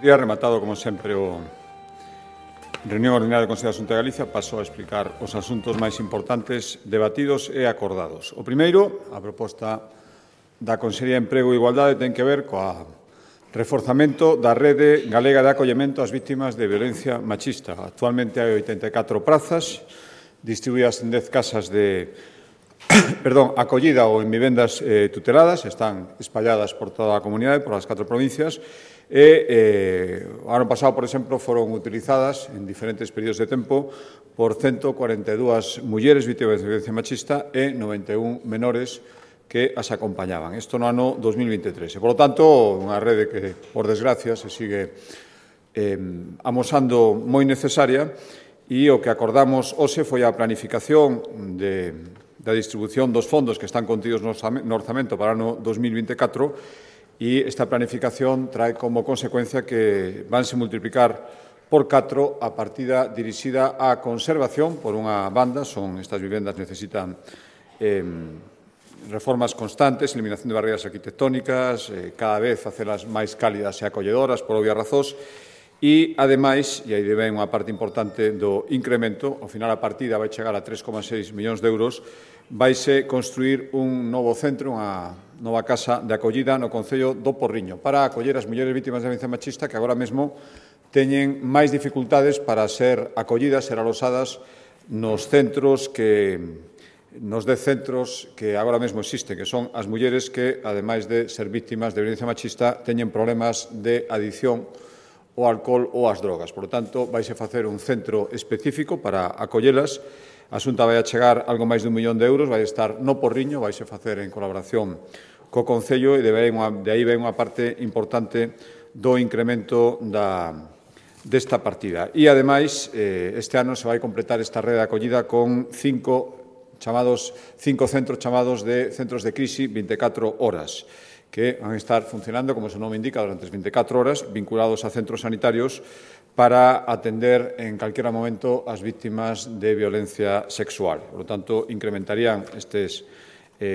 Día rematado, como sempre, o reunión ordinaria do Consello da Xunta de Galicia. Paso a explicar os asuntos máis importantes debatidos e acordados. O primeiro, a proposta da Consellería de Emprego e Igualdade, ten que ver coa reforzamento da rede galega de acollemento ás vítimas de violencia machista. Actualmente hai 84 prazas distribuídas en 10 casas de acollida ou en vivendas tuteladas, están espalladas por toda a comunidade, por as 4 provincias, e o ano pasado, por exemplo, foron utilizadas en diferentes períodos de tempo por 142 mulleres vítimas de violencia machista e 91 menores que as acompañaban. Isto no ano 2023. E, por lo tanto, unha rede que, por desgracia, se sigue amosando moi necesaria, e o que acordamos hoxe foi a planificación da distribución dos fondos que están contidos no orzamento para o ano 2024, e esta planificación trae como consecuencia que vanse multiplicar por 4 a partida dirixida á conservación. Por unha banda, estas vivendas necesitan reformas constantes, eliminación de barreiras arquitectónicas, cada vez facelas máis cálidas e acolledoras por obvias razóns, e, ademais, e aí ven unha parte importante do incremento, ao final a partida vai chegar a 3,6 millóns de euros, vaise construir un novo centro, unha nova casa de acollida no Concello do Porriño para acoller as mulleres vítimas de violencia machista que agora mesmo teñen máis dificultades para ser acollidas, ser alosadas nos 10 centros que agora mesmo existen, que son as mulleres que, ademais de ser vítimas de violencia machista, teñen problemas de adicción ao alcohol ou ás drogas. Por lo tanto, vaise facer un centro específico para acollelas. A Xunta vai a chegar algo máis de 1 millón de euros, vai estar no Porriño, vaise facer en colaboración co Concello, e de aí ven unha parte importante do incremento desta partida. E, ademais, este ano se vai completar esta rede de acollida con 5 centros chamados de centros de crise 24 horas, que van a estar funcionando, como o seu nome indica, durante as 24 horas, vinculados a centros sanitarios para atender en calquera momento as vítimas de violencia sexual. Por lo tanto, incrementarían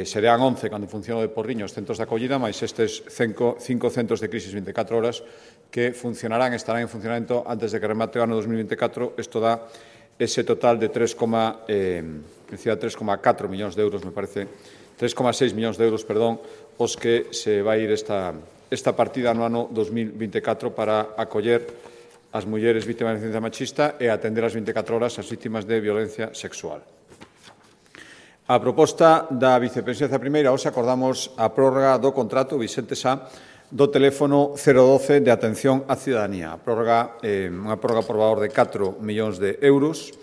serían 11 cando funciona de Porriño os centros de acollida, máis estes 5 centros de crisis 24 horas que funcionarán, estarán en funcionamento antes de que remate o ano 2024. Isto dá ese total de 3,4 millóns de euros, me parece, 3,6 millóns de euros, os que se vai ir esta partida no ano 2024 para acoller as mulleres vítimas de violencia machista e atender as 24 horas as vítimas de violencia sexual. A proposta da Vicepresidencia Primeira, hoxe acordamos a prórroga do contrato Vicente Sá do teléfono 012 de atención á cidadanía. Unha prórroga por valor de 4 millóns de euros.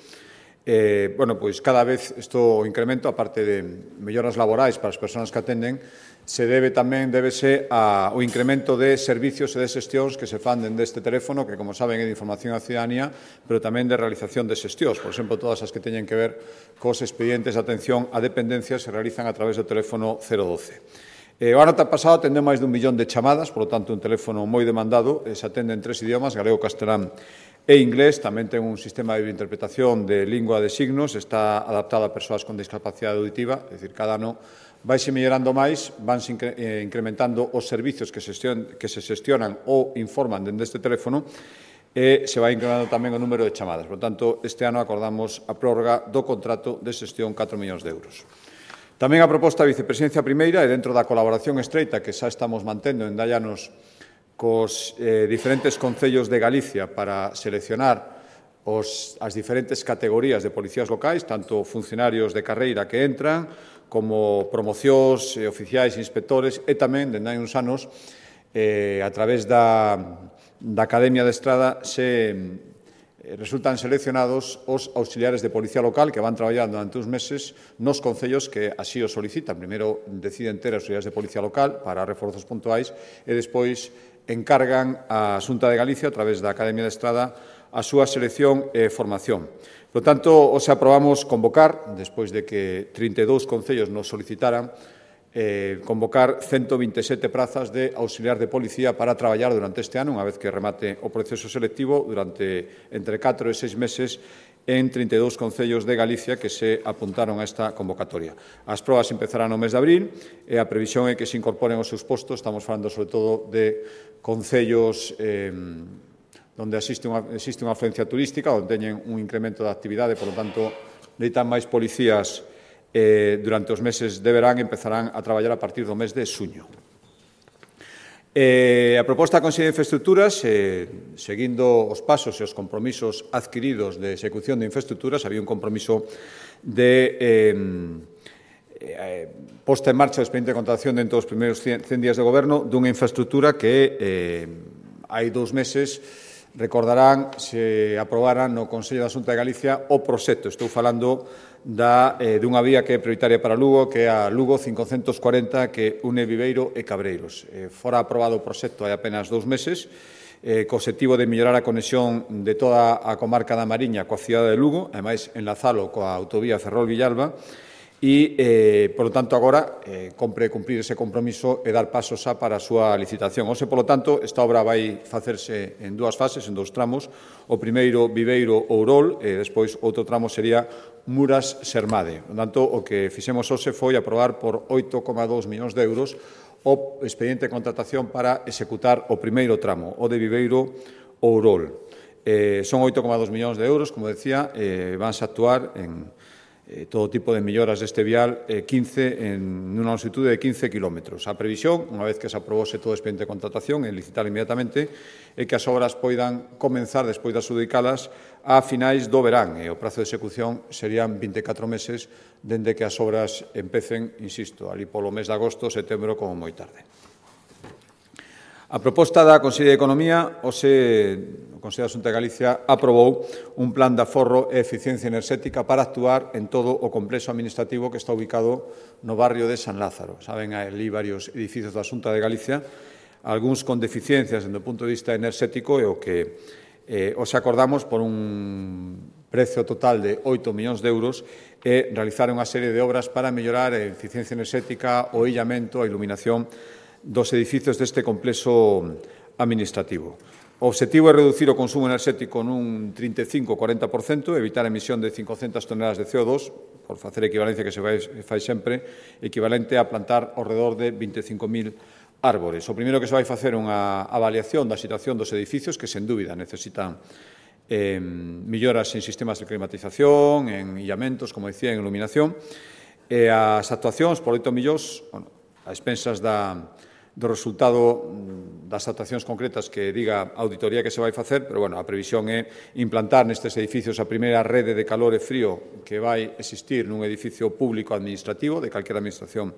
Pois cada vez isto incremento, aparte de melloras laborais para as persoas que atenden, débese ao incremento de servicios e de xestións que se fan dende este teléfono, que, como saben, é de información á cidadanía, pero tamén de realización de xestións. Por exemplo, todas as que teñen que ver cos expedientes de atención á dependencia se realizan a través do teléfono 012. O ano pasado atendeu máis de 1 millón de chamadas, por lo tanto, un teléfono moi demandado. Se atende en 3 idiomas, galego, castelán e inglés. Tamén ten un sistema de interpretación de lingua de signos, está adaptado a persoas con discapacidade auditiva, é dicir, cada ano vaise mellorando máis, vanse incrementando os servicios que se xestionan ou informan dende este teléfono, e se vai incrementando tamén o número de chamadas. Por tanto, este ano acordamos a prórroga do contrato de xestión 4 millóns de euros. Tamén a proposta da Vicepresidencia Primeira, e dentro da colaboración estreita que xa estamos mantendo en 10 anos cos diferentes concellos de Galicia para seleccionar as diferentes categorías de policías locais, tanto funcionarios de carreira que entran, como promocións, oficiais e inspectores, e tamén, dende hai uns anos, a través da Academia de Estrada, resultan seleccionados os auxiliares de policía local que van traballar durante uns meses nos concellos que así o solicitan. Primeiro deciden ter auxiliares de policía local para reforzos puntuais e despois encargan a Xunta de Galicia, a través da Academia de Estrada, a súa selección e formación. Por tanto, hoxe aprobamos convocar, despois de que 32 concellos nos solicitaran, convocar 127 prazas de auxiliar de policía para traballar durante este ano, unha vez que remate o proceso selectivo, durante entre 4 e 6 meses, en 32 concellos de Galicia que se apuntaron a esta convocatoria. As probas empezarán no mes de abril e a previsión é que se incorporen aos seus postos. Estamos falando, sobre todo, de concellos onde existe unha afluencia turística, onde teñen un incremento de actividade, por lo tanto, necesitan máis policías durante os meses de verán e empezarán a traballar a partir do mes de xuño. A proposta da Consellería de Infraestructuras, seguindo os pasos e os compromisos adquiridos de execución de infraestructuras, había un compromiso de posta en marcha do expediente de contratación dentro dos primeiros 100 días de goberno dunha infraestructura que hai 2 meses, recordarán, se aprobaran no Consello da Xunta de Galicia o proxecto. Estou falando dunha vía que é prioritaria para Lugo, que é a Lugo 540, que une Viveiro e Cabreiros. Fora aprobado o proxecto hai apenas 2 meses, co obxectivo de mellorar a conexión de toda a comarca da Mariña coa cidade de Lugo, ademais enlazalo coa autovía Ferrol-Villalba, e, por lo tanto, agora compre cumprir ese compromiso e dar pasos xa para a súa licitación. Por lo tanto, esta obra vai facerse en 2 fases, en 2 tramos. O primeiro, Viveiro-Ourol, e despois outro tramo sería Muras-Sermade. Por lo tanto, o que fixemos hoxe foi aprobar por 8,2 millóns de euros o expediente de contratación para executar o primeiro tramo, o de Viveiro-Ourol. Son 8,2 millóns de euros, como decía, vanse a actuar en todo tipo de melloras deste vial, 15 en unha longitude de 15 kilómetros. A previsión, unha vez que se aprobose todo o expediente de contratación e licitar inmediatamente, é que as obras poidan comenzar, despois de adxudicalas, a finais do verán, e o prazo de execución serían 24 meses dende que as obras empecen, insisto, ali polo mes de agosto, setembro, como moi tarde. A proposta da Consellería de Economía, o Consello da Xunta de Galicia aprobou un plan de aforro e eficiencia enerxética para actuar en todo o complexo administrativo que está ubicado no barrio de San Lázaro. Saben, ali varios edificios da Xunta de Galicia, algúns con deficiencias desde o punto de vista enerxético, e o que os acordamos por un precio total de 8 millóns de euros e realizar unha serie de obras para mellorar a eficiencia enerxética, o illamento, a iluminación dos edificios deste complexo administrativo. O obxectivo é reducir o consumo enerxético nun 35-40%, evitar a emisión de 500 toneladas de CO2, por facer equivalencia que se fai sempre, equivalente a plantar ao redor de 25.000 árbores. O primeiro que se vai facer unha avaliación da situación dos edificios, que, sen dúbida, necesitan melloras en sistemas de climatización, en illamentos, como decía, en iluminación, e as actuacións por 8 millóns, a expensas do resultado das actuacións concretas que diga a auditoría que se vai facer, pero, a previsión é implantar nestes edificios a primeira rede de calor e frío que vai existir nun edificio público administrativo de calquera administración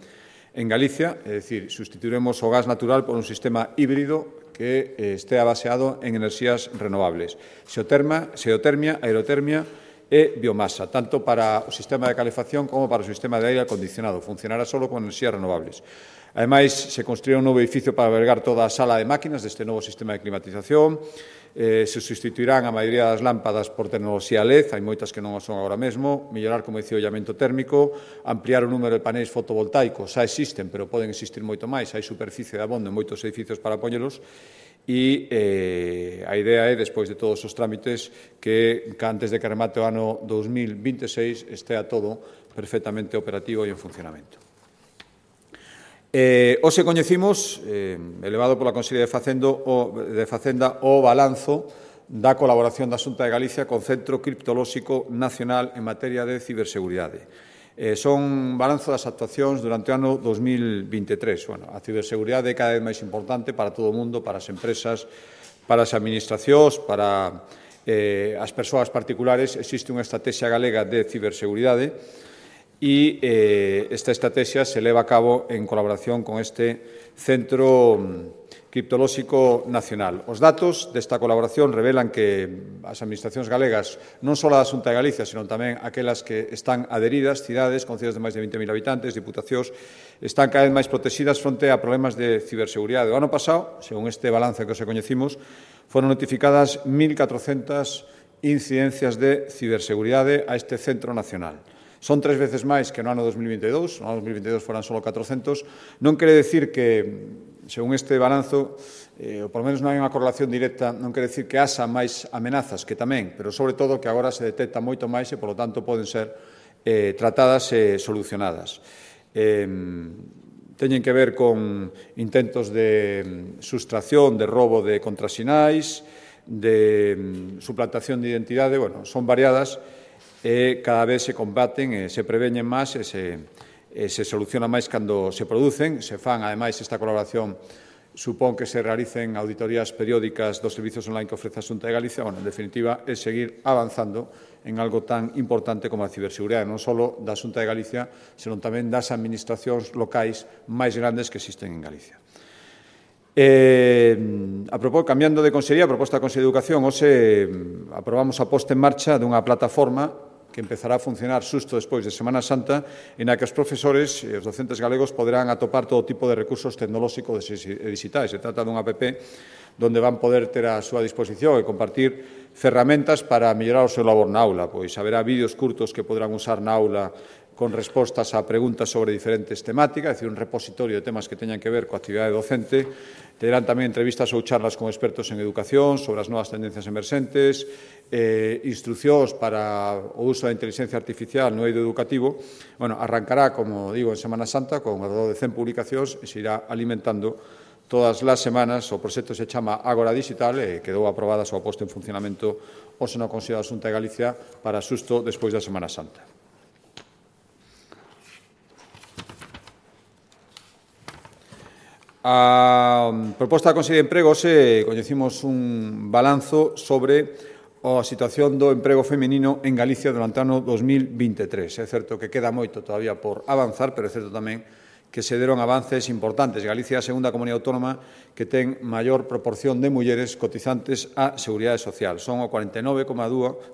en Galicia, é dicir, sustituiremos o gas natural por un sistema híbrido que estea baseado en enerxías renovables, xeotermia, aerotermia e biomasa, tanto para o sistema de calefacción como para o sistema de aire acondicionado. Funcionará só con enerxías renovables. Ademais, se construirá un novo edificio para albergar toda a sala de máquinas deste novo sistema de climatización. Se sustituirán a maioría das lámpadas por tecnoloxía LED, hai moitas que non o son agora mesmo, mellorar, como dicía, o illamento térmico, ampliar o número de paneis fotovoltaicos, xa existen, pero poden existir moito máis, hai superficie de abondo en moitos edificios para poñelos, e a idea é, despois de todos os trámites, que antes de que remate o ano 2026 estea todo perfectamente operativo e en funcionamento. Hoxe coñecimos, elevado pola Consellería de Facenda, o balanzo da colaboración da Xunta de Galicia co Centro Criptolóxico Nacional en materia de ciberseguridade. Son balanzo das actuacións durante o ano 2023. A ciberseguridade é cada vez máis importante para todo o mundo, para as empresas, para as administracións, para as persoas particulares. Existe unha estrategia galega de ciberseguridade e esta estrategia se leva a cabo en colaboración con este Centro Criptolóxico Nacional. Os datos desta colaboración revelan que as administracións galegas, non só a da Xunta de Galicia, senón tamén aquelas que están adheridas, cidades con cidades de máis de 20.000 habitantes, diputacións, están cada vez máis protegidas fronte a problemas de ciberseguridade. O ano pasado, según este balance que os coñecimos, foron notificadas 1.400 incidencias de ciberseguridade a este Centro Nacional. Son 3 veces máis que no ano 2022, no ano 2022 foran só 400. Non quere decir que según este balanzo, por lo menos non hai unha correlación directa, non quere dicir que haxa máis amenazas, que tamén, pero sobre todo que agora se detecta moito máis e, polo tanto, poden ser tratadas e solucionadas. Teñen que ver con intentos de sustracción, de roubo de contrasinais, de suplantación de identidade, bueno, son variadas e cada vez se combaten e se preveñen máis e se soluciona máis cando se producen. Se fan, ademais, esta colaboración supón que se realicen auditorías periódicas dos servizos online que ofrece a Xunta de Galicia. Bueno, en definitiva, é seguir avanzando en algo tan importante como a ciberseguridade, non só da Xunta de Galicia, senón tamén das administracións locais máis grandes que existen en Galicia. Cambiando de consellería, a proposta da Consellería de Educación, hoxe aprobamos a posta en marcha dunha plataforma que empezará a funcionar xusto despois de Semana Santa, en a que os profesores e os docentes galegos poderán atopar todo tipo de recursos tecnolóxicos e digitais. Se trata dunha app donde van poder ter a súa disposición e compartir ferramentas para mellorar o seu labor na aula. Pois haberá vídeos curtos que poderán usar na aula con respostas a preguntas sobre diferentes temáticas, é dicir, un repositorio de temas que teñan que ver coa actividade docente. Terán tamén entrevistas ou charlas con expertos en educación sobre as novas tendencias emerxentes, instruccións para o uso da inteligencia artificial no eido educativo. Bueno, arrancará, como digo, en Semana Santa, con alrededor de 100 publicacións e se irá alimentando todas as semanas. O proxecto se chama Ágora Digital e quedou aprobada a súa posta en funcionamento hoxe no Consello da Xunta de Galicia para xusto despois da Semana Santa. A proposta da Consellería de Emprego, hoxe coñecimos un balanzo sobre a situación do emprego feminino en Galicia durante o ano 2023. É certo que queda moito todavía por avanzar, pero é certo tamén que se deron avances importantes. Galicia é a segunda comunidade autónoma que ten maior proporción de mulleres cotizantes á Seguridade Social. Son o 49,2%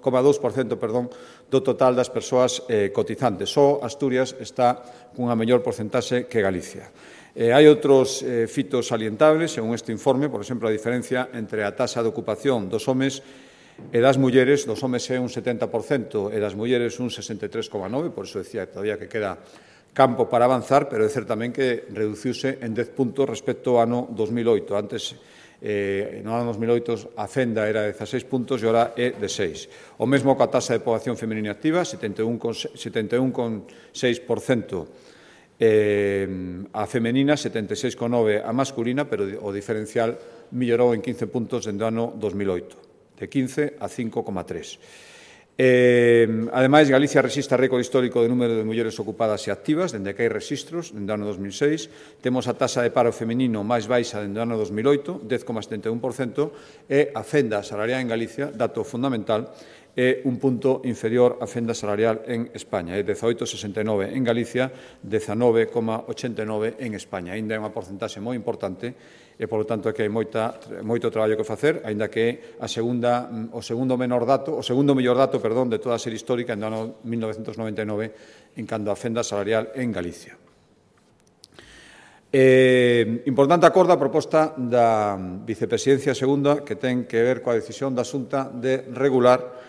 do total das persoas cotizantes. Só Asturias está cunha mellor porcentaxe que Galicia. Hai outros fitos salientables, según este informe, por exemplo, a diferencia entre a taxa de ocupación dos homes e das mulleres. Dos homes é un 70% e das mulleres un 63,9%, por iso decía todavía que queda campo para avanzar, pero é certo tamén que reduciuse en 10 puntos respecto ao ano 2008. Antes, no ano 2008, a fenda era de 16 puntos e ora é de 6. O mesmo coa taxa de poboación feminina activa, 71,6%. A femenina, 76,9% a masculina, pero o diferencial mellorou en 15 puntos dende o ano 2008, de 15 a 5,3. Ademais, Galicia rexistra récord histórico de número de mulleres ocupadas e activas, dende que hai rexistros, dende o ano 2006. Temos a taxa de paro feminino máis baixa dende o ano 2008, 10,71%, e a fenda salarial en Galicia, dato fundamental, é un punto inferior á fenda salarial en España. É 18,69 en Galicia, 19,89 en España. Ainda é unha porcentaxe moi importante e, polo tanto, é que hai moito traballo que facer, aínda que o segundo mellor dato, de toda a serie histórica, en o ano 1999, en cando a fenda salarial en Galicia. Importante acordo a proposta da Vicepresidencia Segunda, que ten que ver coa decisión da Xunta de regular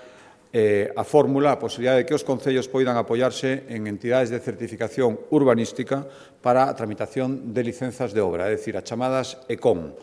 a fórmula, a posibilidade de que os concellos poidan apoiarse en entidades de certificación urbanística para a tramitación de licenzas de obra, é dicir, as chamadas ECOM,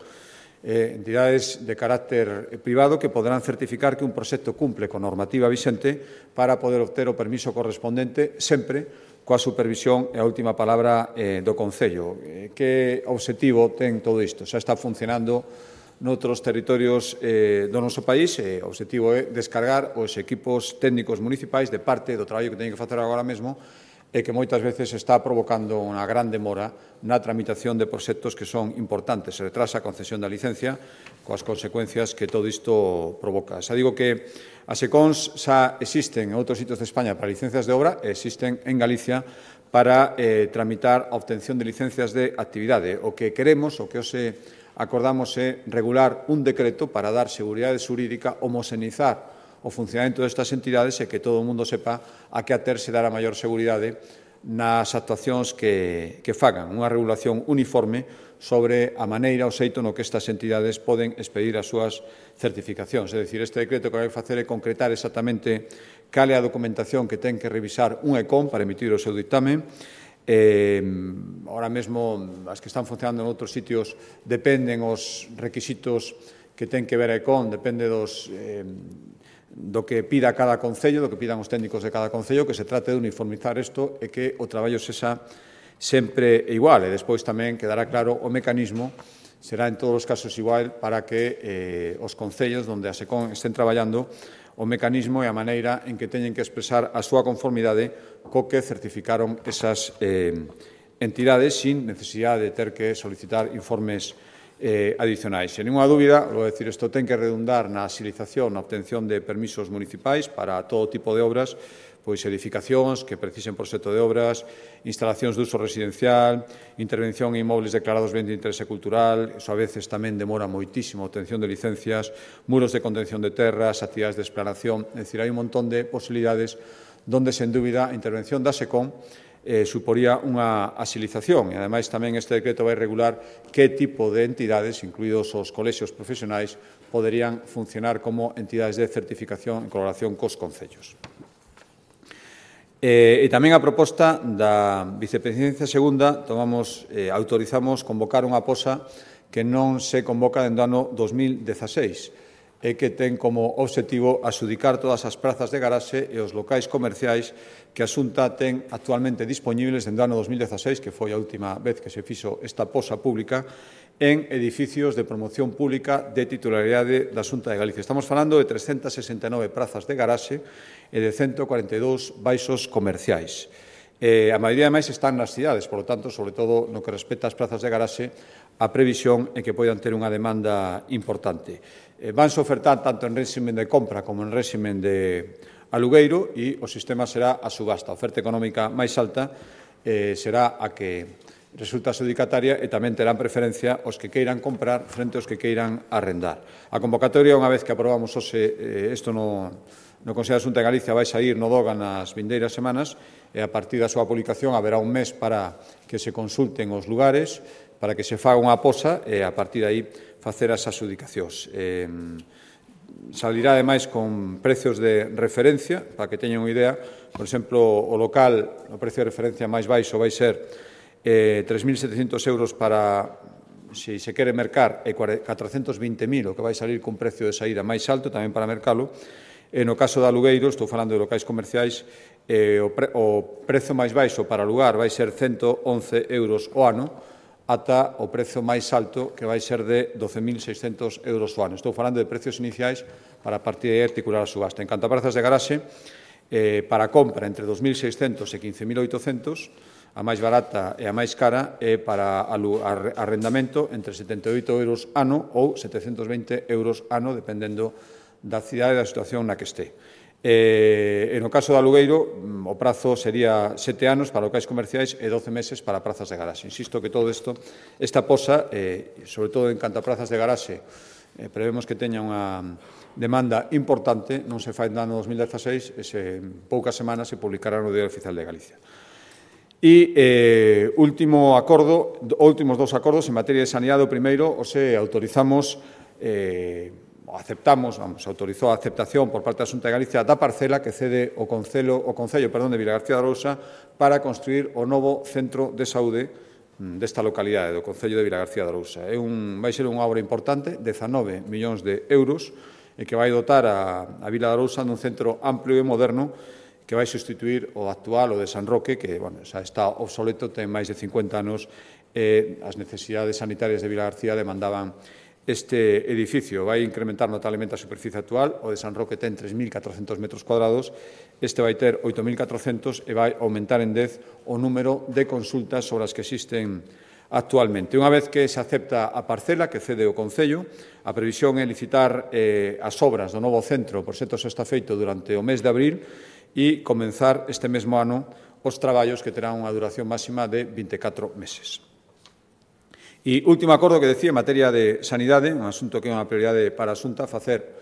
entidades de carácter privado que poderán certificar que un proxecto cumple con normativa vixente para poder obter o permiso correspondente sempre coa supervisión e a última palabra do Concello. Que obxectivo ten todo isto? Xa está funcionando noutros territorios do noso país. O obxectivo é descargar os equipos técnicos municipais de parte do traballo que teñen que facer agora mesmo e que moitas veces está provocando unha gran demora na tramitación de proxectos que son importantes. Se retrasa a concesión da licencia coas consecuencias que todo isto provoca. Xa digo que as ECONs xa existen en outros sitios de España para licencias de obra e existen en Galicia para tramitar a obtención de licencias de actividade. O que queremos, o que hoxe acordamos é regular un decreto para dar seguridade xurídica, homoxeneizar o funcionamento destas entidades e que todo o mundo sepa a que aterse dar a maior seguridade nas actuacións que fagan. Unha regulación uniforme sobre a maneira, o xeito no que estas entidades poden expedir as súas certificacións. É dicir, este decreto que vai facer é concretar exactamente cal é a documentación que ten que revisar un ECOM para emitir o seu dictamen, Ahora mesmo, as que están funcionando en outros sitios dependen os requisitos que ten que ver a ECON, depende do que pida cada concello, do que pidan os técnicos de cada concello, que se trate de uniformizar isto e que o traballo sexa sempre igual. E despois tamén quedará claro o mecanismo, será en todos os casos igual para que os concellos onde a SECON estén traballando o mecanismo e a maneira en que teñen que expresar a súa conformidade co que certificaron esas entidades sin necesidade de ter que solicitar informes adicionais. Sen ninguna dúbida, vou decir, isto ten que redundar na axilización, na obtención de permisos municipais para todo tipo de obras, pois edificacións que precisen proxecto de obras, instalacións de uso residencial, intervención en inmobles declarados ben de interese cultural, iso a veces tamén demora moitísimo a obtención de licencias, muros de contención de terras, actividades de explanación, é dicir, hai un montón de posibilidades donde, sen dúbida, a intervención da SECON suporía unha axilización e, ademais, tamén este decreto vai regular que tipo de entidades, incluídos os colexios profesionais, poderían funcionar como entidades de certificación en colaboración cos concellos. E tamén a proposta da Vicepresidencia Segunda autorizamos convocar unha posa que non se convoca dentro do ano 2016 e que ten como obxectivo adxudicar todas as prazas de garaxe e os locais comerciais que a Xunta ten actualmente dispoñibles dentro do ano 2016, que foi a última vez que se fixo esta posa pública, en edificios de promoción pública de titularidade da Xunta de Galicia. Estamos falando de 369 prazas de garaxe e de 142 baixos comerciais. A maioría, ademais, están nas cidades, por lo tanto, sobre todo no que respecta ás prazas de garaxe, a previsión é que poidan ter unha demanda importante. Vanse ofertar tanto en réximen de compra como en réximen de alugueiro e o sistema será a subasta. A oferta económica máis alta será a que resulta adxudicataria e tamén terán preferencia os que queiran comprar frente aos que queiran arrendar. A convocatoria, unha vez que aprobamos isto no Consello da Xunta de Galicia, vai sair no DOGA nas vindeiras semanas e a partir da súa publicación haberá un mes para que se consulten os lugares, para que se faga unha posa e a partir de aí facer as adxudicacións. Salirá, ademais, con precios de referencia, para que teñan unha idea. Por exemplo, o local, o precio de referencia máis baixo vai ser 3.700 euros para, se se quere mercar, e 420.000, o que vai salir cun precio de saída máis alto, tamén para mercalo. E no caso de alugueiro, estou falando de locais comerciais, o prezo máis baixo para alugar vai ser 111 euros o ano, ata o prezo máis alto, que vai ser de 12.600 euros o ano. Estou falando de precios iniciais para a partir de articular a subasta. En canto a prazas de garaxe, para compra entre 2.600 e 15.800, a máis barata e a máis cara, e para arrendamento entre 78 euros ano ou 720 euros ano, dependendo da cidade e da situación na que este. E no caso do alugueiro, o prazo sería 7 anos para locais comerciais e 12 meses para prazas de garaxe. Insisto que todo isto, esta posa, sobre todo en canto a prazas de garaxe, prevemos que teña unha demanda importante, non se fai no ano 2016, e en poucas semanas se publicará no Diario Oficial de Galicia. E últimos dous acordos en materia de sanidade. O primeiro, autorizamos autorizou a aceptación por parte da Xunta de Galicia da parcela que cede o Concello de Vilagarcía de Arousa para construir o novo centro de saúde desta localidade, do Concello de Vilagarcía de Arousa. Vai ser unha obra importante, 19 millóns de euros, e que vai dotar a Vila de Arousa dun centro amplio e moderno que vai substituir o actual, o de San Roque, que xa está obsoleto, ten máis de 50 anos, e as necesidades sanitarias de Vilagarcía demandaban este edificio. Vai incrementar notablemente a superficie actual. O de San Roque ten 3.400 metros cuadrados, este vai ter 8.400 e vai aumentar en 10 o número de consultas sobre as que existen actualmente. Unha vez que se acepta a parcela que cede o Concello, a previsión é licitar as obras do novo centro. O proxecto xa está feito durante o mes de abril e comenzar este mesmo ano os traballos, que terán unha duración máxima de 24 meses. E último acordo que decía en materia de sanidade, un asunto que é unha prioridade para a Xunta, facer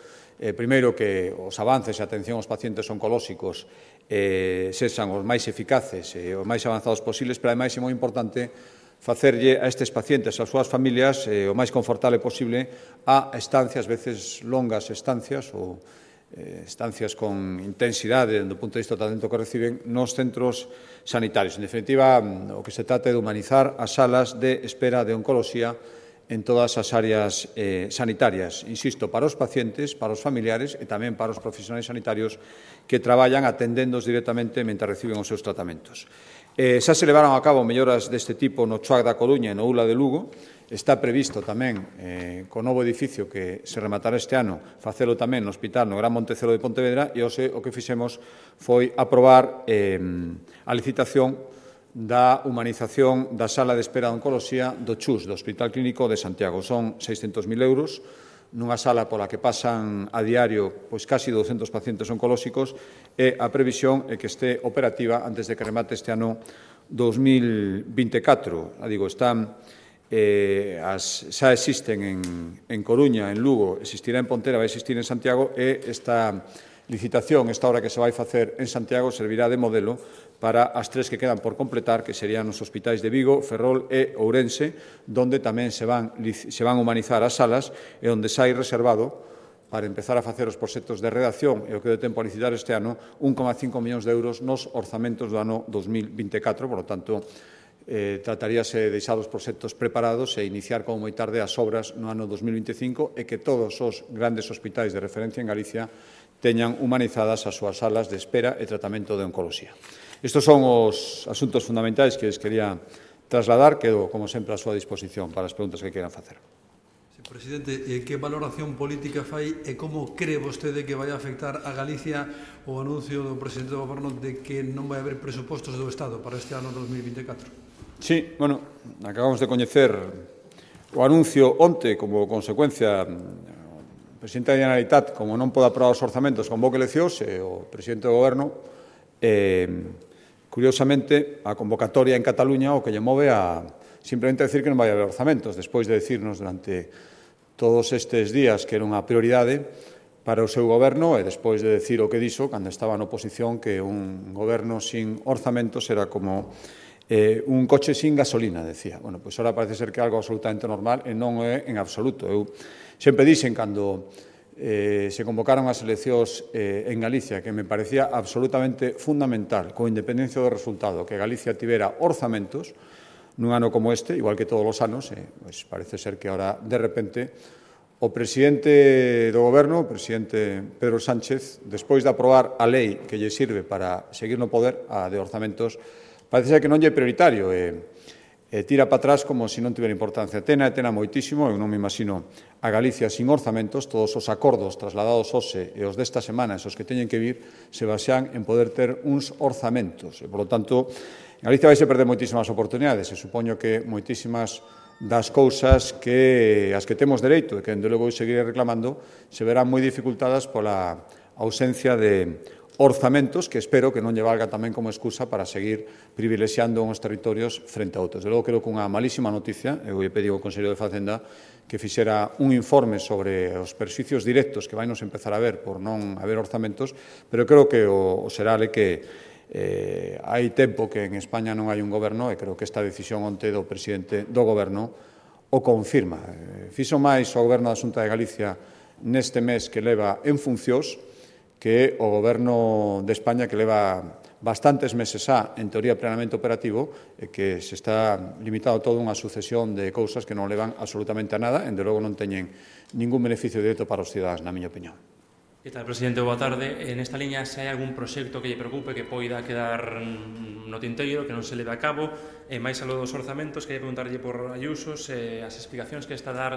primeiro que os avances e a atención aos pacientes oncolóxicos sexan os máis eficaces e os máis avanzados posibles, pero ademais é moi importante facerlle a estes pacientes e ás súas familias o máis confortable posible a estancias, veces longas estancias ou estancias con intensidade do punto de vista do tratamento que reciben nos centros sanitarios. En definitiva, o que se trata é de humanizar as salas de espera de oncoloxía en todas as áreas sanitarias, insisto, para os pacientes, para os familiares e tamén para os profesionais sanitarios que traballan atendendos directamente mentre reciben os seus tratamentos. Xa se levaron a cabo melloras deste tipo no CHUAC da Coruña e no ULA de Lugo. Está previsto tamén, co novo edificio que se rematará este ano, facelo tamén no Hospital no Gran Montecelo de Pontevedra, e hoxe o que fixemos foi aprobar a licitación da humanización da sala de espera de oncoloxía do CHUS, do Hospital Clínico de Santiago. Son 600.000 euros nunha sala pola que pasan a diario casi 200 pacientes oncolóxicos e a previsión é que este operativa antes de que remate este ano 2024. Están xa existen en Coruña, en Lugo, existirá en Pontera, vai existir en Santiago e esta licitación, esta obra que se vai facer en Santiago, servirá de modelo para as tres que quedan por completar, que serían os hospitais de Vigo, Ferrol e Ourense, donde tamén se van humanizar as salas e onde xa hai reservado para empezar a facer os proxectos de redacción e o que de tempo a licitar este ano 1,5 millóns de euros nos orzamentos do ano 2024, por lo tanto, trataríase de deixar os proxectos preparados e iniciar como moi tarde as obras no ano 2025 e que todos os grandes hospitais de referencia en Galicia teñan humanizadas as súas salas de espera e tratamento de oncoloxía. Estes son os asuntos fundamentais que les quería trasladar. Quedo, como sempre, a súa disposición para as preguntas que quieran facer. Presidente, que valoración política fai e como cree vostede que vai afectar a Galicia o anuncio do presidente do Goberno de que non vai haber presupostos do Estado para este ano 2024? Sí, acabamos de coñecer o anuncio onte como consecuencia. O presidente da Generalitat, como non pode aprobar os orzamentos, convoca eleccións e o presidente do Goberno, curiosamente, a convocatoria en Cataluña o que lle move a simplemente decir que non vai haber orzamentos, despois de decirnos durante todos estes días que era unha prioridade para o seu goberno e despois de decir o que dixo cando estaba na oposición que un goberno sin orzamentos era como un coche sin gasolina, decía. Pois ahora parece ser que é algo absolutamente normal e non é en absoluto. Eu sempre dixen cando se convocaron as eleccións en Galicia que me parecía absolutamente fundamental, con independencia do resultado, que Galicia tivera orzamentos nun ano como este, igual que todos os anos, parece ser que ahora, de repente, o presidente do Goberno, o presidente Pedro Sánchez, despois de aprobar a lei que lle sirve para seguir no poder, a de orzamentos, parece ser que non lle é prioritario e tira para atrás como se non tivera importancia. Tena moitísimo, eu non me imagino a Galicia sin orzamentos, todos os acordos trasladados hoxe e os desta semana, os que teñen que vir, se basean en poder ter uns orzamentos. E, por lo tanto, Galicia vai se perder moitísimas oportunidades e supoño que moitísimas das cousas que as que temos dereito e que, dende logo, seguiré reclamando, se verán moi dificultadas pola ausencia de orzamentos que espero que non lle valga tamén como excusa para seguir privilexiando uns territorios frente a outros. De logo, creo que unha malísima noticia, eu lle pedido ao Conselleiro de Facenda que fixera un informe sobre os perxuicios directos que vai nos empezar a ver por non haber orzamentos, pero creo que o será que hai tempo que en España non hai un goberno e creo que esta decisión onte do presidente do goberno o confirma. Fixo máis o goberno da Xunta de Galicia neste mes que leva en funcións que o goberno de España que leva bastantes meses en teoría plenamente operativo e que se está limitado todo unha sucesión de cousas que non levan absolutamente a nada e, de logo, non teñen ningún beneficio directo para os cidadáns, na miña opinión. Que tal, presidente? Boa tarde. En esta liña, se hai algún proxecto que lle preocupe que poida quedar no tinteiro, que non se leve a cabo, e máis algo dos orzamentos, que lle preguntarlle por Ayusos, as explicacións que está a dar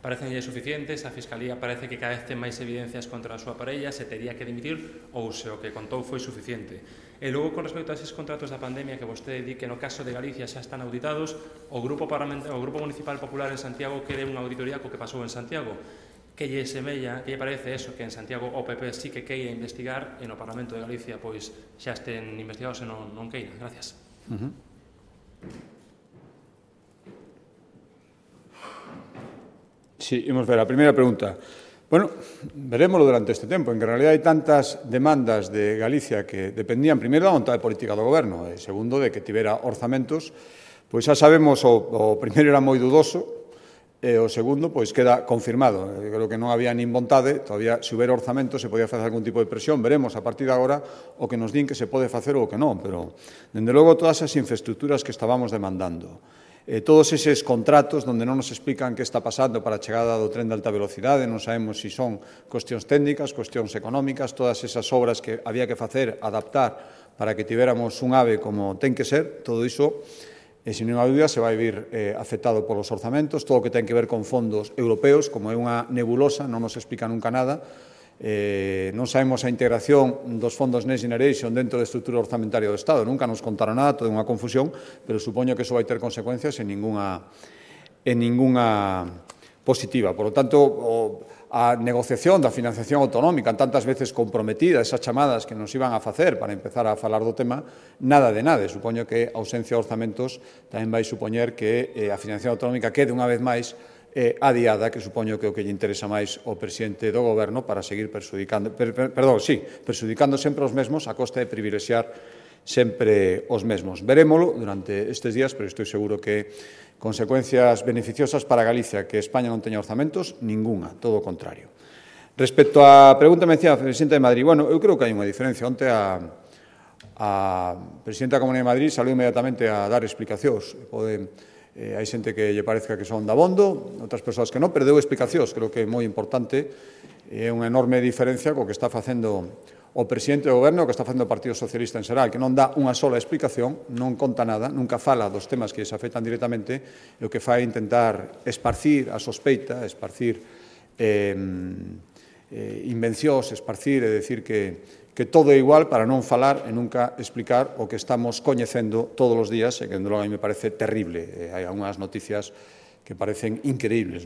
parecenlle suficientes, a Fiscalía parece que cada vez ten máis evidencias contra a súa parella, se tería que dimitir ou se o que contou foi suficiente. E logo, con respecto a eses contratos da pandemia que vostede di que no caso de Galicia xa están auditados, o Grupo Municipal Popular en Santiago quere unha auditoría co que pasou en Santiago. Que lle semella, que lle parece eso, que en Santiago o PP sí que queira investigar e no Parlamento de Galicia pois xa estén investigados e non queira? Gracias. Sí, imos ver a primeira pregunta. Verémoslo durante este tempo. En realidad hai tantas demandas de Galicia que dependían primeiro da vontade política do goberno e segundo de que tivera orzamentos. Pois xa sabemos, o primeiro era moi dudoso, E o segundo, pois, queda confirmado. Creo que non había nin vontade, todavía, se houbera orzamento, se podía facer algún tipo de presión. Veremos a partir de agora o que nos din que se pode facer ou que non, pero, dende logo, todas as infraestructuras que estábamos demandando, todos eses contratos onde non nos explican que está pasando para a chegada do tren de alta velocidade, non sabemos se son cuestións técnicas, cuestións económicas, todas esas obras que había que facer, adaptar para que tivéramos un AVE como ten que ser, todo iso, sin ninguna dúbida, se vai vir afectado polos orzamentos, todo o que ten que ver con fondos europeos, como é unha nebulosa, non nos explica nunca nada, non sabemos a integración dos fondos Next Generation dentro da estrutura orzamentaria do Estado, nunca nos contaron nada, todo é unha confusión, pero supoño que iso vai ter consecuencias en ninguna positiva. Por lo tanto, a negociación da financiación autonómica, tantas veces comprometida, esas chamadas que nos iban a facer para empezar a falar do tema, nada de nada. Supoño que a ausencia de orzamentos tamén vai supoñer que a financiación autonómica quede unha vez máis adiada, que supoño que o que lle interesa máis ao presidente do Goberno para seguir perxudicando sempre os mesmos a costa de privilexiar sempre os mesmos. Verémolo durante estes días, pero estou seguro que consecuencias beneficiosas para Galicia que España non teña orzamentos, ninguna, todo o contrario. Respecto á pregunta mencionada da Presidenta de Madrid, bueno, eu creo que hai unha diferencia. Onte a Presidenta da Comunidade de Madrid saliu inmediatamente a dar explicacións. Hai xente que lle parezca que son dabondo, outras persoas que non, pero deu explicacións. Creo que é moi importante, é unha enorme diferencia co que está facendo o presidente do Goberno, o que está facendo o Partido Socialista en xeral, que non dá unha sola explicación, non conta nada, nunca fala dos temas que se afectan directamente, e o que fai é intentar esparcir a sospeita, esparcir invencións, esparcir e decir que todo é igual para non falar e nunca explicar o que estamos coñecendo todos os días, e que, dende logo, a mí me parece terrible. Hai algunhas noticias que parecen increíbles,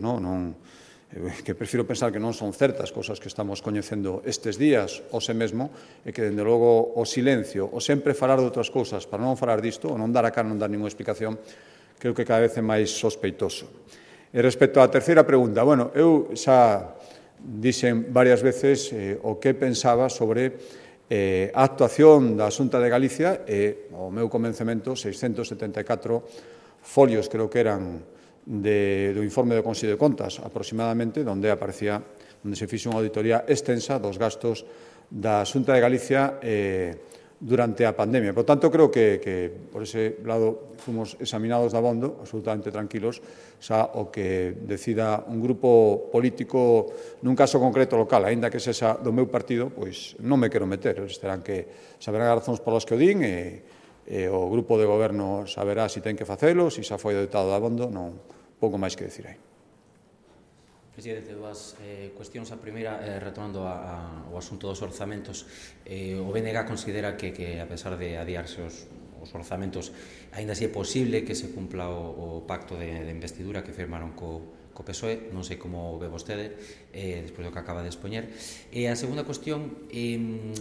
que prefiro pensar que non son certas cosas que estamos coñecendo estes días, ou se mesmo, e que, dende logo, o silencio, o sempre falar de outras cousas para non falar disto, ou non dar a cara, non dar ninguna explicación, creo que cada vez é máis sospeitoso. E respecto á terceira pregunta, bueno, eu xa dixen varias veces o que pensaba sobre a actuación da Xunta de Galicia e o meu convencemento, 674 folios, creo que eran, do informe do Consello de Contas, aproximadamente, onde se fixe unha auditoría extensa dos gastos da Xunta de Galicia durante a pandemia. Por tanto, creo que por ese lado fomos examinados de abondo, absolutamente tranquilos, xa o que decida un grupo político nun caso concreto local, aínda que sexa do meu partido, pois non me quero meter. Saberán as razóns polas que o din e o grupo de goberno saberá se ten que facelo, se xa foi doutado de abondo, non pouco máis que decir aí. Presidente, dúas cuestións. A primeira, retomando o asunto dos orzamentos, o BNG considera que a pesar de adiarse os orzamentos, aínda así é posible que se cumpla o pacto de investidura que firmaron co PSOE. Non sei como ve vostede, despois do que acaba de expoñer. E a segunda cuestión,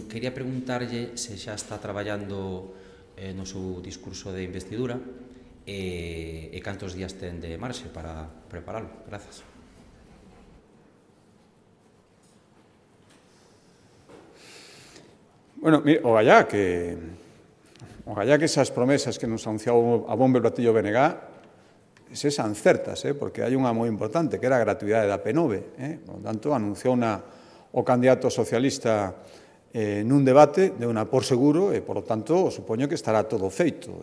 quería preguntarlle se xa está traballando no seu discurso de investidura e cantos días ten de marxe para preparalo. Grazas. Bueno, mire, o gallá que esas promesas que nos anunciou a bombo e platillo BNG sexan certas, porque hai unha moi importante, que era a gratuidade da P9. Por lo tanto, anunciou o candidato socialista nun debate, de unha por seguro, e, por lo tanto, supoño que estará todo feito.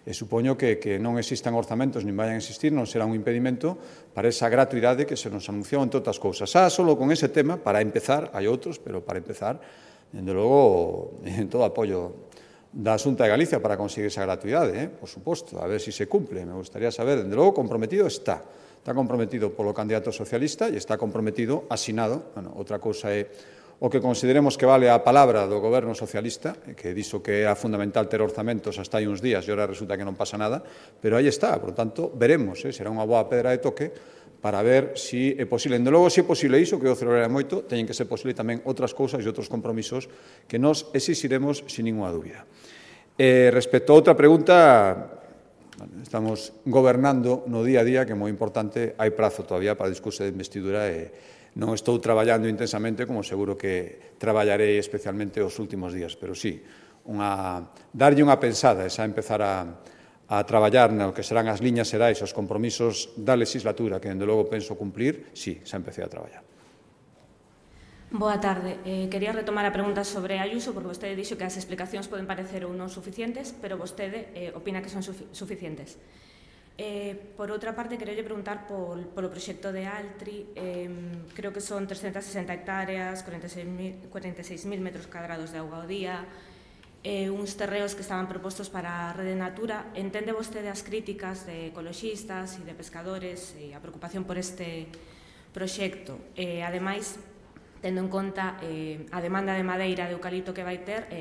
E supoño que non existan orzamentos, nin vayan a existir, non será un impedimento para esa gratuidade que se nos anunciou en todas as cousas. Solo con ese tema, para empezar, hai outros, pero para empezar, dende logo, en todo apoio da Xunta de Galicia para conseguir esa gratuidade, por suposto, a ver se se cumple. Me gustaría saber, dende logo, comprometido está. Está comprometido polo candidato socialista e está comprometido, asinado. Bueno, outra cousa é o que consideremos que vale a palabra do goberno socialista, que dixo que era fundamental ter orzamentos hasta hai uns días e agora resulta que non pasa nada, pero aí está. Por tanto, veremos, será unha boa pedra de toque para ver se é posible. Dende logo, se é posible iso, que eu celebraré moito, teñen que ser posible tamén outras cousas e outros compromisos que nos exixiremos sin ninguna dúbida. Respecto a outra pregunta, estamos gobernando no día a día, que é moi importante, hai prazo todavía para o discurso de investidura e non estou traballando intensamente, como seguro que traballarei especialmente os últimos días, pero sí, darlle unha pensada, esa empezar a a traballar no que serán as liñas xerais, os compromisos da legislatura, que, dende logo, penso cumplir, sí, xa empecé a traballar. Boa tarde. Quería retomar a pregunta sobre Ayuso, porque vostede dixo que as explicacións poden parecer ou non suficientes, pero vostede opina que son suficientes. Por outra parte, quería preguntar polo proxecto de Altri. Creo que son 360 hectáreas, 46.000 metros cuadrados de auga ao día, uns terreos que estaban propostos para a Rede Natura. Entende vostede as críticas de ecoloxistas e de pescadores e a preocupación por este proxecto? Ademais, tendo en conta a demanda de madeira de eucalipto que vai ter,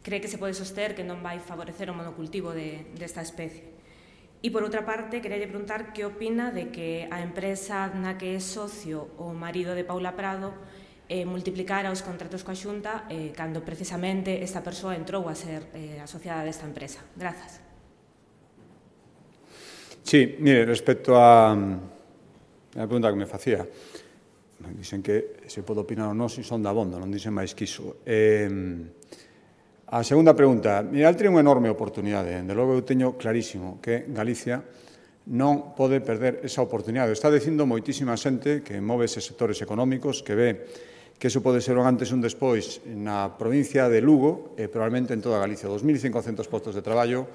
cree que se pode soster que non vai favorecer o monocultivo desta especie. E, por outra parte, queria preguntar que opina de que a empresa na que é socio o marido de Paula Prado multiplicara os contratos coa Xunta cando precisamente esta persoa entrou a ser asociada desta empresa. Grazas. Sí, mire, respecto a pregunta que me facía, dicen que se pode opinar ou non se son dabondo, non dicen máis que iso. A segunda pregunta, mira, Altri é unha enorme oportunidade. Dende logo eu teño clarísimo que Galicia non pode perder esa oportunidade. Está dicindo moitísima xente que move eses sectores económicos, que ve que iso pode ser un antes e un despois na provincia de Lugo e probablemente en toda Galicia. 2.500 postos de traballo,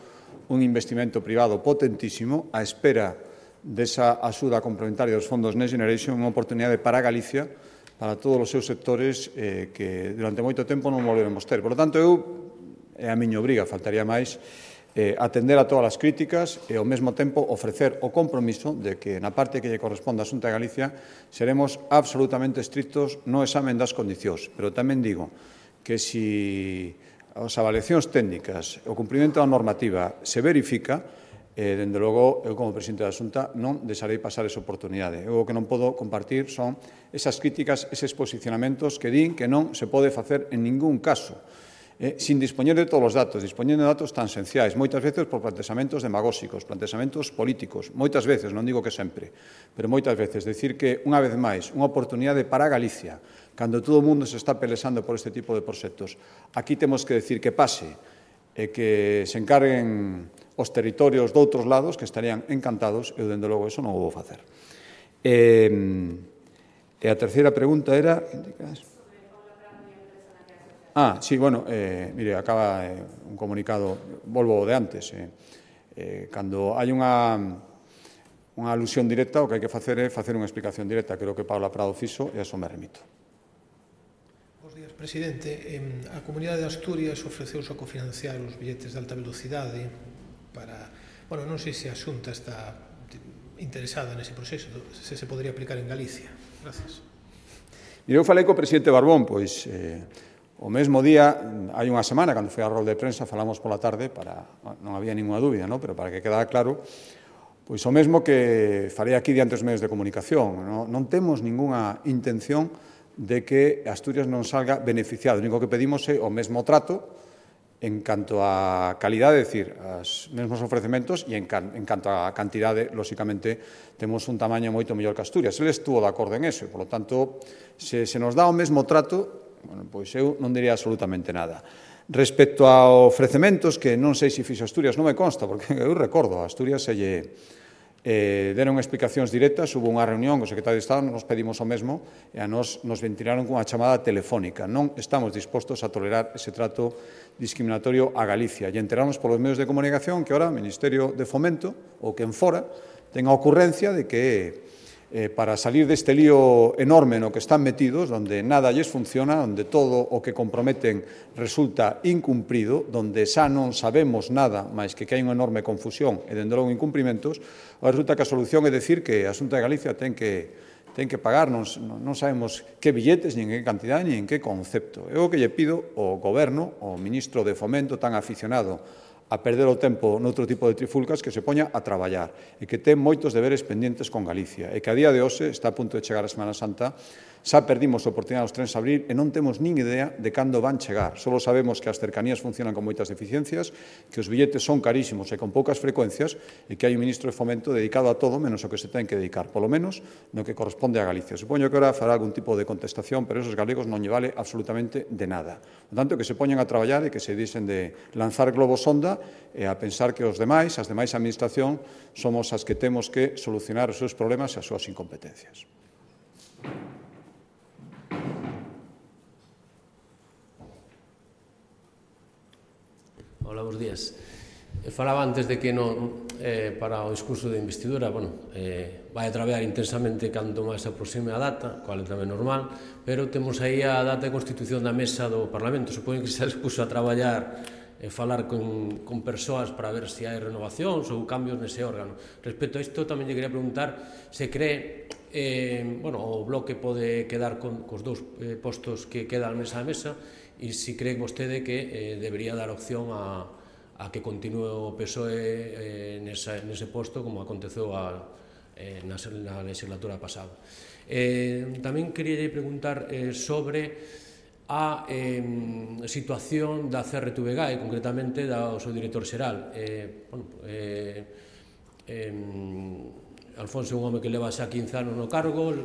un investimento privado potentísimo, a espera desa axuda complementaria dos fondos Next Generation, unha oportunidade para Galicia, para todos os seus sectores que durante moito tempo non volveremos ter. Por lo tanto, é a miña obriga, faltaría máis, atender a todas as críticas e, ao mesmo tempo, ofrecer o compromiso de que, na parte que lle corresponde á Xunta de Galicia, seremos absolutamente estrictos no examen das condicións. Pero tamén digo que, se as avaliacións técnicas, o cumprimento da normativa se verifica, dende logo, eu como presidente da Xunta non deixarei pasar esa oportunidade. Eu o que non podo compartir son esas críticas, eses posicionamentos que din que non se pode facer en ningún caso, sin dispoñer de todos os datos, dispoñendo de datos tan esenciais, moitas veces por plantexamentos demagóxicos, plantexamentos políticos, moitas veces, non digo que sempre, pero moitas veces, decir que, unha vez máis, unha oportunidade para Galicia, cando todo o mundo se está pelexando por este tipo de proxectos, aquí temos que decir que pase e que se encarguen os territorios de outros lados que estarían encantados, eu, dende logo, eso non o vou facer. E a terceira pregunta era... sí, bueno, mire, acaba un comunicado, volvo de antes. Cando hai unha alusión directa, o que hai que facer é facer unha explicación directa, que é o que Paula Prado fixo, e a eso me remito. Bos días, presidente. A Comunidade de Asturias ofreceuse a cofinanciar os billetes de alta velocidade para... Bueno, non sei se a Xunta está interesada nese proceso, se podería aplicar en Galicia. Gracias. Mire, eu falei co presidente Barbón, pois o mesmo día, hai unha semana, cando foi a rol de prensa, falamos pola tarde, non había ninguna dúbida, pero para que quedara claro, pois o mesmo que farei aquí diante os medios de comunicación. Non temos ningunha intención de que Asturias non salga beneficiado. O único que pedimos é o mesmo trato en canto a calidade, é dicir, os mesmos ofrecementos, e en canto a cantidade, lóxicamente, temos un tamaño moito mellor que Asturias. Ele estuvo de acordo en eso, e, por lo tanto, se nos dá o mesmo trato, pois eu non diría absolutamente nada. Respecto a ofrecementos, que non sei se fixo Asturias, non me consta, porque eu recordo, a Asturias se lle deron explicacións directas, hubo unha reunión co secretario de Estado, nos pedimos o mesmo, e a nos ventilaron cunha chamada telefónica. Non estamos dispostos a tolerar ese trato discriminatorio a Galicia. E enteramos polos medios de comunicación que ahora o Ministerio de Fomento, ou quen fora, ten a ocurrencia de que para salir deste lío enorme no que están metidos, onde nada lles funciona, onde todo o que comprometen resulta incumprido, onde xa non sabemos nada, máis que hai unha enorme confusión e, dende logo, incumprimentos, resulta que a solución é dicir que a Xunta de Galicia ten que pagar, non sabemos que billetes, nin en que cantidad, nin en que concepto. Eu o que lle pido ao Goberno, ao ministro de Fomento tan aficionado a perder o tempo noutro tipo de trifulcas, que se poña a traballar e que ten moitos deberes pendientes con Galicia e que a día de hoxe está a punto de chegar a Semana Santa Xa perdimos a oportunidade dos trens a abrir e non temos nin idea de cando van chegar. Solo sabemos que as cercanías funcionan con moitas deficiencias, que os billetes son carísimos e con poucas frecuencias e que hai un ministro de Fomento dedicado a todo menos o que se ten que dedicar, polo menos no que corresponde a Galicia. Supoño que ahora fará algún tipo de contestación, pero esos galegos non lle vale absolutamente de nada. Por tanto, que se poñan a traballar e que se disen de lanzar globos sonda e a pensar que as demais administración, somos as que temos que solucionar os seus problemas e as súas incompetencias. Hola, bons días. Falaba antes de que para o discurso de investidura, vai a traballar intensamente canto máis se aproxime a data, cual é tamén normal, pero temos aí a data de constitución da mesa do Parlamento. Supoño que se puso a traballar e falar con persoas para ver se hai renovacións ou cambios nese órgano. Respecto a isto, tamén lle quería preguntar se cree o bloque pode quedar cos dous postos que quedan nesa mesa e se cree vostede que debería dar opción a que continue o PSOE nese posto como aconteceu na legislatura pasada. Tamén quería preguntar sobre a situación da CRTVG e concretamente do seu director xeral. Alfonso é un home que leva xa 15 anos no cargo,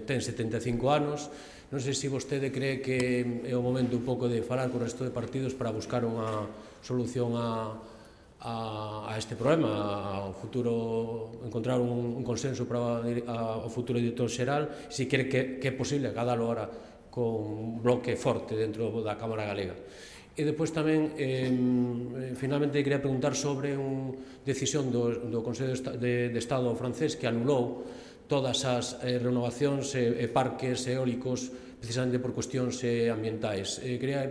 ten 75 anos. Non sei se vostede cree que é o momento un pouco de falar co resto de partidos para buscar unha solución a este problema, ao futuro, encontrar un consenso para o futuro director xeral, se quere que é posible acadalo ahora con un bloque forte dentro da Cámara Galega. E depois tamén, finalmente, quería preguntar sobre unha decisión do Consello de Estado francés que anulou todas as renovacións e parques eólicos precisamente por cuestións ambientais. Quería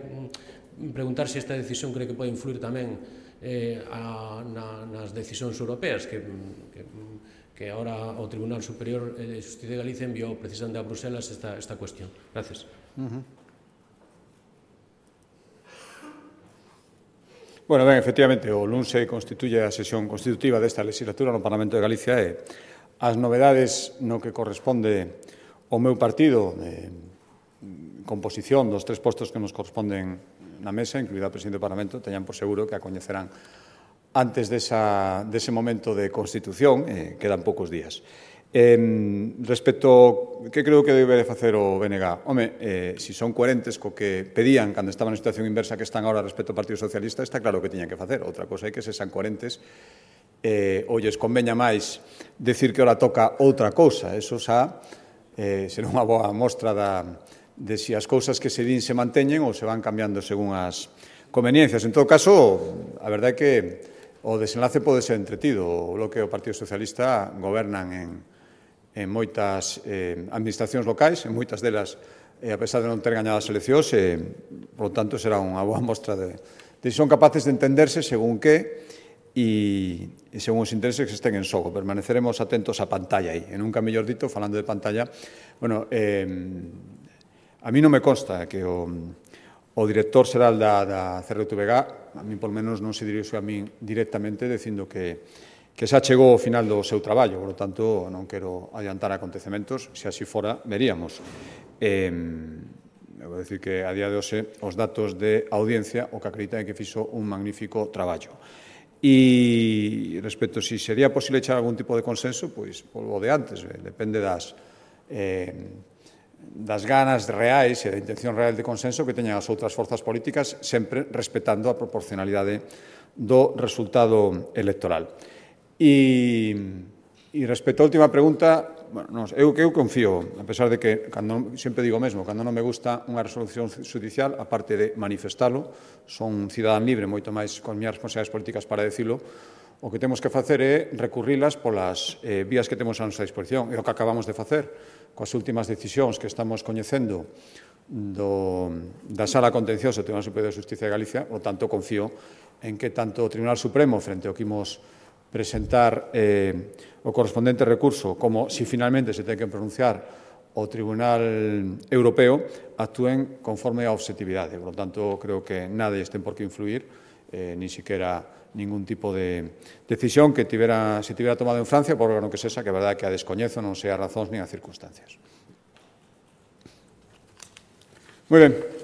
preguntar se esta decisión cree que pode influir tamén nas decisións europeas que agora o Tribunal Superior de Xusticia de Galicia enviou precisamente a Bruselas esta cuestión. Gracias. Bueno, ben, efectivamente, o luns se constituye a sesión constitutiva desta legislatura no Parlamento de Galicia e as novedades no que corresponde ao meu partido, composición dos 3 postos que nos corresponden na mesa, incluída a presidente do Parlamento, teñan por seguro que a coñecerán antes dese momento de constitución, quedan poucos días. Respecto que creo que debe de facer o BNG, se son coherentes co que pedían cando estaban na situación inversa que están agora respecto ao Partido Socialista, está claro que tiñan que facer. Outra cosa é que se sean coherentes ou lles conveña máis decir que ora toca outra cousa. Eso xa será unha boa mostra de se as cousas que se din se manteñen ou se van cambiando según as conveniencias. En todo caso, a verdade é que o desenlace pode ser entretido. O Bloque e o Partido Socialista gobernan en moitas administracións locais, en moitas delas, a pesar de non ter gañado as eleccións, por lo tanto, será unha boa mostra de se son capaces de entenderse según que e según os intereses que estén en xogo. Permaneceremos atentos á pantalla aí. E nunca mellor dito, falando de pantalla, a mí non me consta que o director xeral da CRTVG, a mí por menos non se dirixe a min directamente dicindo que xa chegou ao final do seu traballo, por lo tanto non quero adiantar acontecementos, se así fora veríamos. Vou dicir que a día de hoxe os datos de audiencia o que acreditan é que fixo un magnífico traballo. E respecto se sería posible echar algún tipo de consenso, pois o de antes, depende das ganas reais e da intención real de consenso que teñan as outras forzas políticas, sempre respetando a proporcionalidade do resultado electoral. E respecto á última pregunta, eu confío, a pesar de que, sempre digo mesmo, cando non me gusta unha resolución judicial, aparte de manifestalo, son un cidadán libre, moito máis con miñas responsabilidades políticas para decirlo, o que temos que facer é recurrilas polas vías que temos a nosa disposición. É o que acabamos de facer coas últimas decisións que estamos coñecendo da Sala Contenciosa do Tribunal Superior de Xusticia de Galicia, por tanto, confío en que tanto o Tribunal Supremo, frente ao que imos presentar o correspondente recurso, como se finalmente se ten que pronunciar o Tribunal Europeo, actúen conforme a objetividade. Por lo tanto, creo que nada ten por que influir, ni siquiera ningún tipo de decisión que se tivera tomado en Francia, por órgano que sexa, que a verdade que a descoñezo, non sei as razóns nin as circunstancias. Muy bien.